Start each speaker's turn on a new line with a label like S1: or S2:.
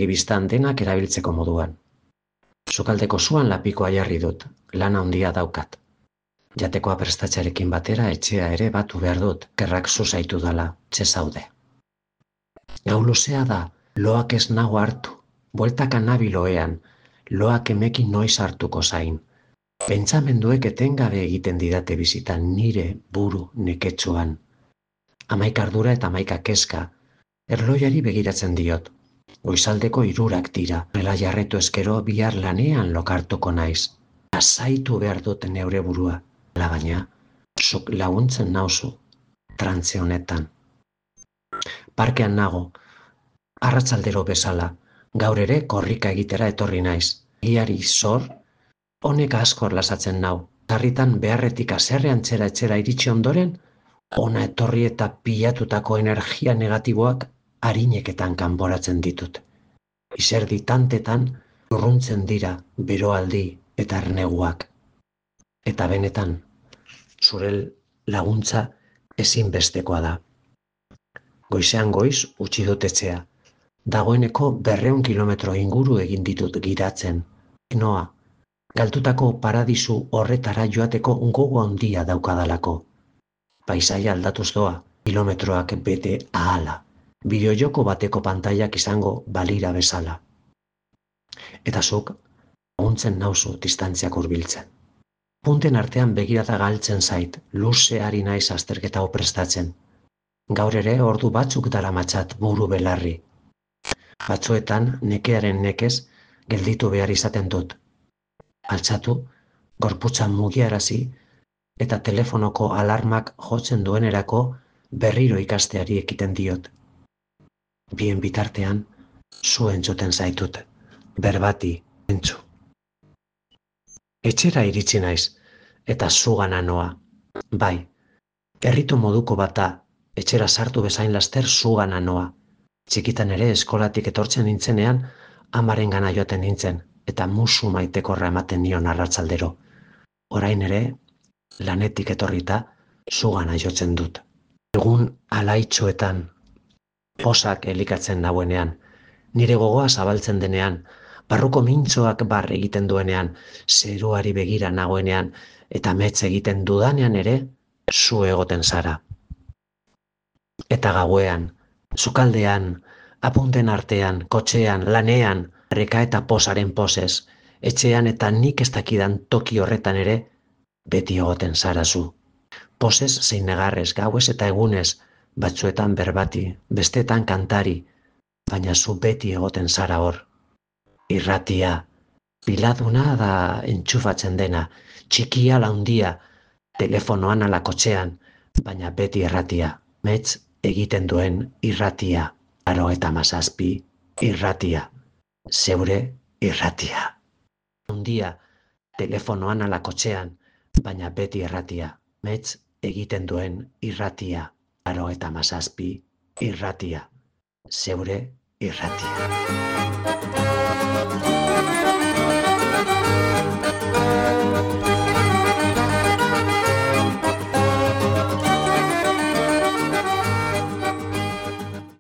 S1: begibistan denak erabiltzeko moduan. Sukaldeko zuan lapikoa jarri dut, lan handia daukat. Jatekoa prestatxarekin batera etxea ere batu behar dut, gerrak zuzaitu dala, txezaude. Gau luzea da, loak ez nago hartu, bueltaka nabiloean, loak emekin noiz hartuko zain. Pentsamenduek etengabe egiten didate bizitan nire buru neketsuan. 11 ardura eta 11 kezka, erloiari begiratzen diot. Goizaldeko 3 dira, nela jarretu eskero bihar lanean lokartuko naiz. Azaitu behar dut neure burua, baina, zuk laguntzen nauzu, trantze honetan. Parkean nago, arratsaldero bezala, gaur ere korrika egitera etorri naiz. Giari zor, honek askor lasatzen nau. Sarritan beharretik haserrean etxera iritsi ondoren, ona etorri eta pilatutako energia negatiboak arineketan kanporatzen ditut. Izerdi tantetan urruntzen dira beroaldi eta erneguak. Eta benetan, zure laguntza ezinbestekoa da. Goizean goiz utzi dut etxea. Dagoeneko 200 kilometro inguru egin ditut giratzen. Noa, galtutako paradisu horretara joateko gogo handia daukadalako. Paisaia aldatuz doa, kilometroak bete ahala. Bideojoko bateko pantailak izango balira bezala. Eta zuk, laguntzen nauzu distantziak hurbiltzen. Punten artean begirata galtzen zait, luze ari naiz azterketa hau prestatzen. Gaur ere ordu batzuk daramatzat buru belarri. Batzuetan nekearen nekez gelditu behar izaten dut. Altxatu, gorputza mugiarazi eta telefonoko alarmak jotzen duenerako berriro ikasteari ekiten diot. Bien bitartean, zu entzuten zaitut, berbati entzu. Etxera iritsi naiz, eta zugana noa. Bai, herritu moduko bata, etxera sartu bezain laster zugana noa. Txikitan ere eskolatik etortzen nintzenean, amaren gana joaten nintzen, eta musu maitekorra ematen nion arratsaldero. Orain ere, lanetik etorrita, zugana jotzen dut. Egun alaitxoetan, posak elikatzen nauenean, nire gogoa zabaltzen denean, barruko mintzoak bar egiten duenean, zeruari begira nagoenean, eta metz egiten dudanean ere, zu egoten zara. Eta gauean, sukaldean, apunten artean, kotxean, lanean, reka eta posaren posez, etxean eta nik ez dakidan toki horretan ere, beti egoten zara zu. Posez zein negarrez, gauez eta egunez, batzuetan berbati, bestetan kantari, baina zu beti egoten zara hor. Irratia, piladuna da entxufatzen dena, txikia laundia, telefonoan ala kotxean, baina beti irratia, metz egiten duen irratia, 97 irratia, zeure irratia. Laundia, telefonoan ala kotxean, baina beti irratia, metz egiten duen irratia, 97 irratia, zeure irratia.